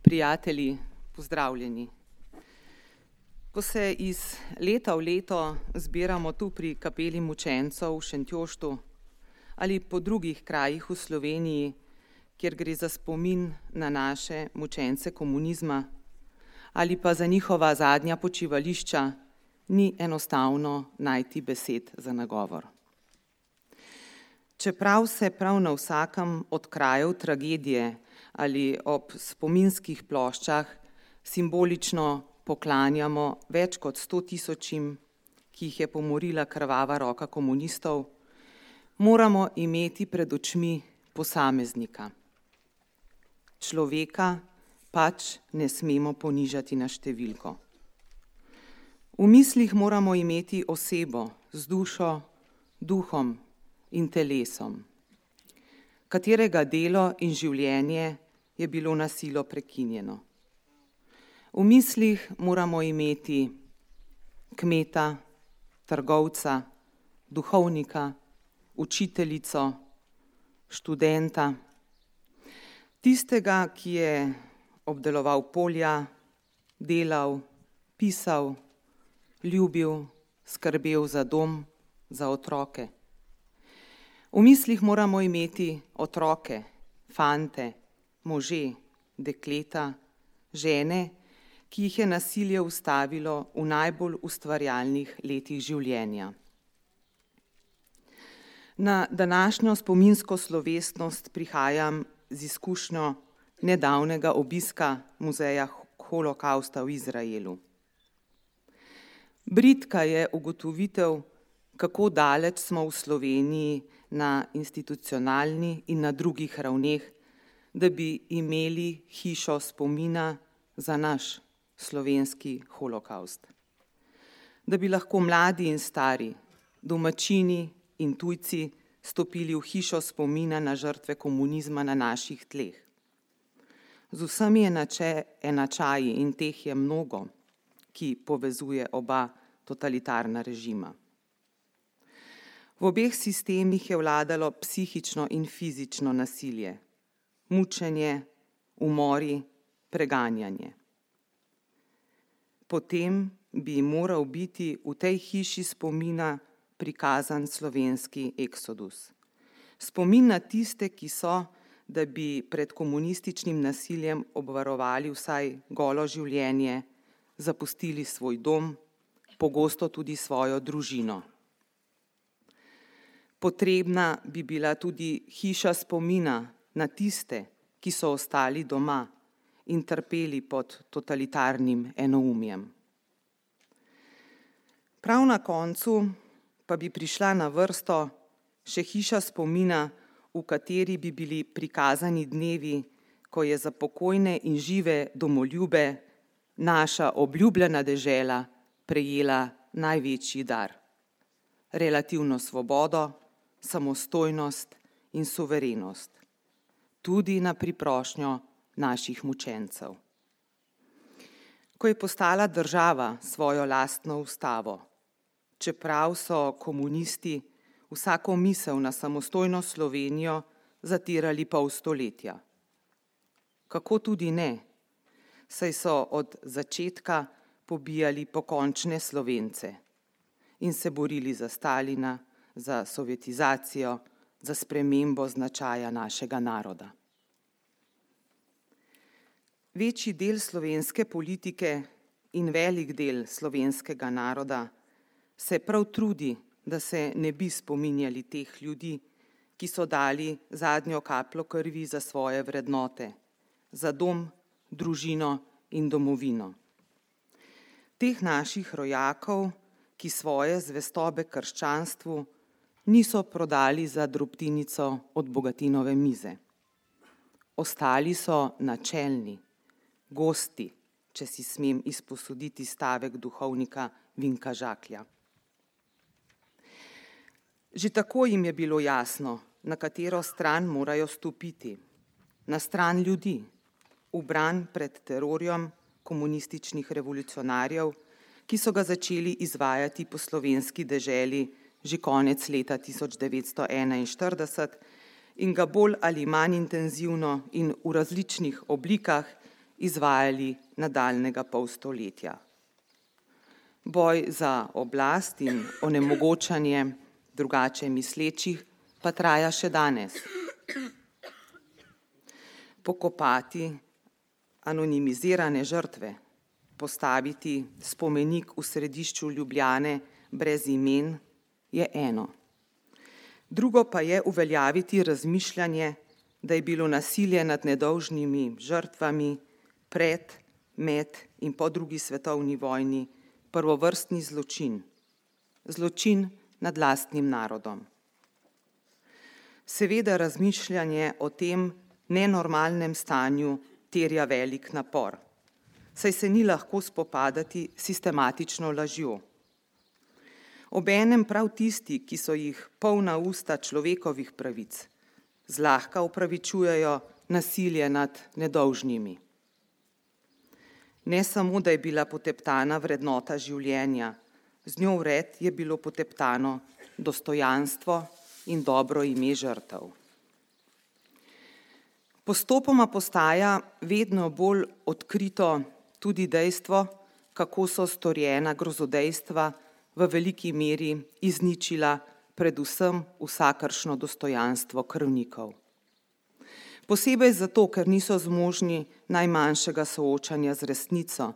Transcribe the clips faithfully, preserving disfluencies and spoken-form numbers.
Prijatelji, pozdravljeni. Ko se iz leta v leto zbiramo tu pri kapeli mučencev v Šentjoštu ali po drugih krajih v Sloveniji, kjer gre za spomin na naše mučence komunizma ali pa za njihova zadnja počivališča, ni enostavno najti besed za nagovor. Čeprav se prav na vsakem od krajev tragedije ali ob spominskih ploščah simbolično poklanjamo več kot sto tisočim, ki jih je pomorila krvava roka komunistov, moramo imeti pred očmi posameznika. Človeka pač ne smemo ponižati na številko. V mislih moramo imeti osebo z dušo, duhom in telesom, katerega delo in življenje je bilo na silo prekinjeno. V mislih moramo imeti kmeta, trgovca, duhovnika, učiteljico, študenta, tistega, ki je obdeloval polja, delal, pisal, ljubil, skrbel za dom, za otroke. V mislih moramo imeti otroke, fante, može, dekleta, žene, ki jih je nasilje ustavilo v najbolj ustvarjalnih letih življenja. Na današnjo spominsko slovesnost prihajam z izkušnjo nedavnega obiska muzeja holokavsta v Izraelu. Bridka je ugotovitev, kako daleč smo v Sloveniji na institucionalni in na drugih ravneh, da bi imeli hišo spomina za naš slovenski holokavst. Da bi lahko mladi in stari, domačini in tujci stopili v hišo spomina na žrtve komunizma na naših tleh. Z vsemi enačaji, in teh je mnogo, ki povezuje oba totalitarna režima. V obeh sistemih je vladalo psihično in fizično nasilje, mučenje, umori, preganjanje. Potem bi moral biti v tej hiši spomina prikazan slovenski eksodus. Spomin na tiste, ki so, da bi pred komunističnim nasiljem obvarovali vsaj golo življenje, zapustili svoj dom, pogosto tudi svojo družino. Potrebna bi bila tudi hiša spomina na tiste, ki so ostali doma in trpeli pod totalitarnim enoumjem. Prav na koncu pa bi prišla na vrsto še hiša spomina, v kateri bi bili prikazani dnevi, ko je za pokojne in žive domoljube naša obljubljena dežela prejela največji dar. Relativno svobodo, samostojnost in suverenost. Tudi na priprošnjo naših mučencev. Ko je postala država svojo lastno ustavo, čeprav so komunisti vsako misel na samostojno Slovenijo zatirali pol stoletja. Kako tudi ne, saj so od začetka pobijali pokončne Slovence in se borili za Stalina, za sovjetizacijo, za spremembo značaja našega naroda. Večji del slovenske politike in velik del slovenskega naroda se prav trudi, da se ne bi spominjali teh ljudi, ki so dali zadnjo kapljo krvi za svoje vrednote, za dom, družino in domovino. Teh naših rojakov, ki svoje zvestobe krščanstvu niso prodali za drobtinico od bogatinove mize. Ostali so načelni, gosti, če si smem izposoditi stavek duhovnika Vinka Žaklja. Že tako jim je bilo jasno, na katero stran morajo stopiti. Na stran ljudi, v bran pred terorjem komunističnih revolucionarjev, ki so ga začeli izvajati po slovenski deželi že konec leta tisoč devetsto enainštirideset in ga bolj ali manj intenzivno in v različnih oblikah izvajali nadaljnjega pol stoletja. Boj za oblast in onemogočanje drugače mislečih pa traja še danes. Pokopati anonimizirane žrtve, postaviti spomenik v središču Ljubljane brez imen je eno. Drugo pa je uveljaviti razmišljanje, da je bilo nasilje nad nedolžnimi žrtvami pred, med in po drugi svetovni vojni prvovrstni zločin, zločin nad lastnim narodom. Seveda razmišljanje o tem nenormalnem stanju terja velik napor, saj se ni lahko spopadati sistematično lažjo. Obenem prav tisti, ki so jih polna usta človekovih pravic, zlahka upravičujejo nasilje nad nedolžnimi. Ne samo, da je bila poteptana vrednota življenja, z njo vred je bilo poteptano dostojanstvo in dobro ime žrtev. Postopoma postaja vedno bolj odkrito tudi dejstvo, kako so storjena grozodejstva v veliki meri izničila predvsem vsakršno dostojanstvo krvnikov. Posebej zato, ker niso zmožni najmanjšega soočanja z resnico,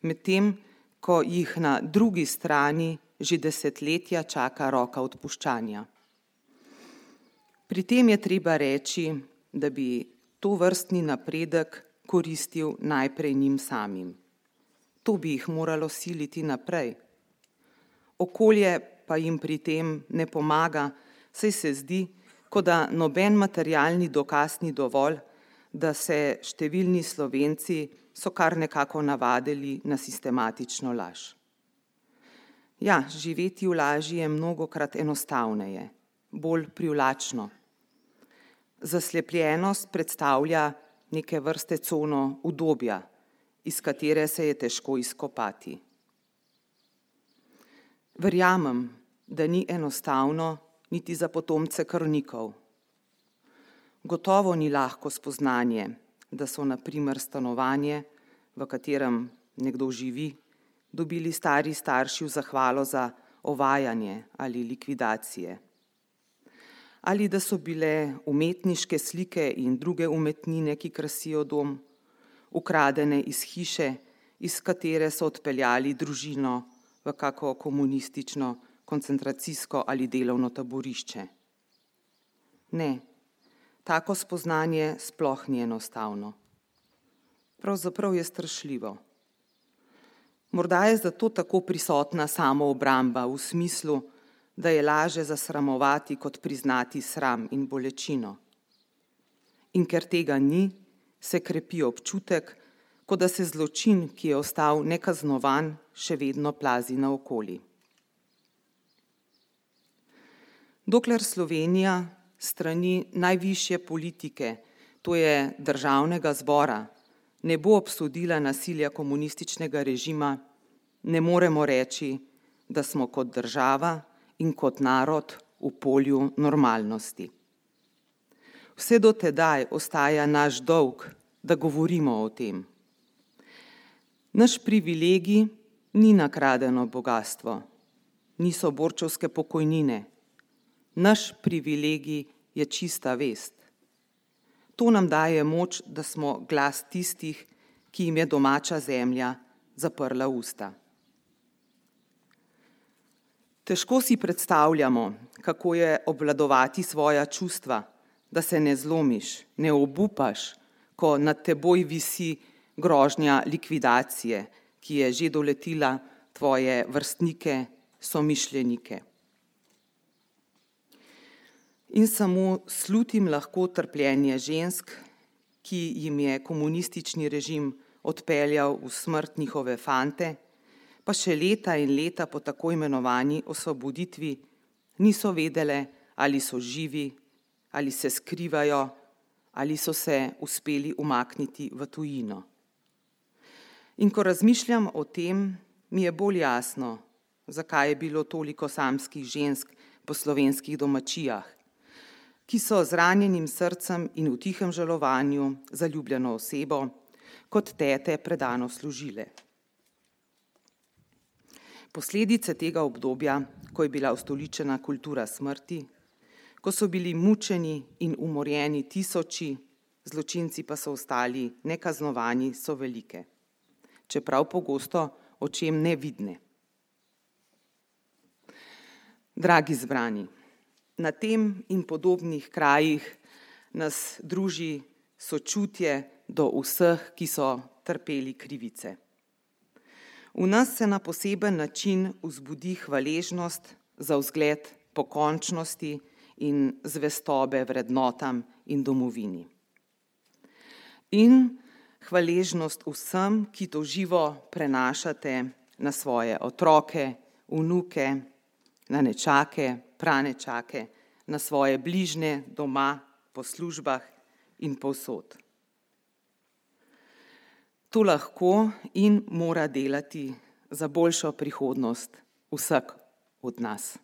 medtem ko jih na drugi strani že desetletja čaka roka odpuščanja. Pri tem je treba reči, da bi tovrstni napredek koristil najprej njim samim. To bi jih moralo siliti naprej. Okolje pa jim pri tem ne pomaga, saj se zdi, kot da noben materialni dokaz ni dovolj, da se številni Slovenci so kar nekako navadili na sistematično laž. Ja, živeti v laži je mnogokrat enostavneje, bolj privlačno. Zaslepljenost predstavlja neke vrste cono udobja, iz katere se je težko izkopati. Verjamem, da ni enostavno niti za potomce krvnikov. Gotovo ni lahko spoznanje, da so na primer stanovanje, v katerem nekdo živi, dobili stari starši v zahvalo za ovajanje ali likvidacije. Ali da so bile umetniške slike in druge umetnine, ki krasijo dom, ukradene iz hiše, iz katere so odpeljali družino v kako komunistično, koncentracijsko ali delovno taborišče. Ne, tako spoznanje sploh ni enostavno. Pravzaprav je strašljivo. Morda je zato tako prisotna samoobramba v smislu, da je laže zasramovati kot priznati sram in bolečino. In ker tega ni, se krepi občutek, kot da se zločin, ki je ostal nekaznovan, še vedno plazi naokoli. Dokler Slovenija strani najvišje politike, to je Državnega zbora, ne bo obsodila nasilja komunističnega režima, ne moremo reči, da smo kot država in kot narod v polju normalnosti. Vse do tedaj ostaja naš dolg, da govorimo o tem. Naš privilegij ni nakradeno bogastvo, niso borčevske pokojnine. Naš privilegij je čista vest. To nam daje moč, da smo glas tistih, ki jim je domača zemlja zaprla usta. Težko si predstavljamo, kako je obvladovati svoja čustva, da se ne zlomiš, ne obupaš, ko nad teboj visi grožnja likvidacije, ki je že doletila tvoje vrstnike, somišljenike. In samo slutim lahko trpljenje žensk, ki jim je komunistični režim odpeljal v smrt njihove fante, pa še leta in leta po tako imenovani osvoboditvi niso vedele, ali so živi, ali se skrivajo, ali so se uspeli umakniti v tujino. In ko razmišljam o tem, mi je bolj jasno, zakaj je bilo toliko samskih žensk po slovenskih domačijah, ki so z ranjenim srcem in v tihem žalovanju za ljubljeno osebo kot tete predano služile. Posledice tega obdobja, ko je bila ustoličena kultura smrti, ko so bili mučeni in umorjeni tisoči, zločinci pa so ostali nekaznovani, so velike, čeprav pogosto očem nevidne. Dragi zbrani, na tem in podobnih krajih nas druži sočutje do vseh, ki so trpeli krivice. V nas se na poseben način vzbudi hvaležnost za vzgled pokončnosti in zvestobe vrednotam in domovini. In hvaležnost vsem, ki to živo prenašate na svoje otroke, vnuke, na nečake, pranečake, na svoje bližnje doma, po službah in povsod. To lahko in mora delati za boljšo prihodnost vsak od nas.